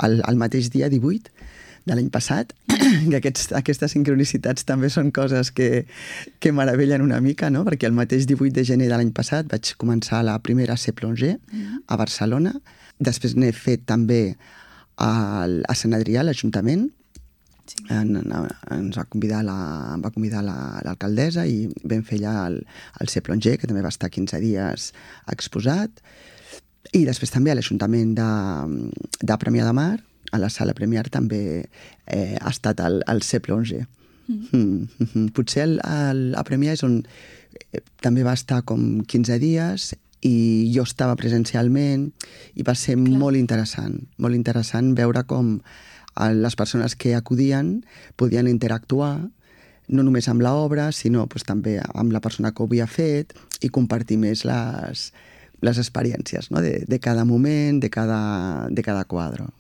el mateix dia 18 de l'any passat, que aquestes sincronicitats també són coses que meravellen una mica, no? Perquè el mateix 18 de gener de l'any passat vaig començar la primera C Plongé a Barcelona, després n'he fet també a Sant Adrià, a l'Ajuntament, ens va convidar l'alcaldessa i vam fer allà el C Plongé, que també va estar 15 dies exposat, i després també a l'Ajuntament de Premià de Mar, a la sala Premià també ha estat el C Plongé. Potser a Premià és on també va estar com 15 dies i jo estava presencialment i va ser molt interessant veure com les persones que acudien podien interactuar no només amb l'obra, sinó també amb la persona que ho havia fet i compartir més les experiències de cada moment, de cada quadre.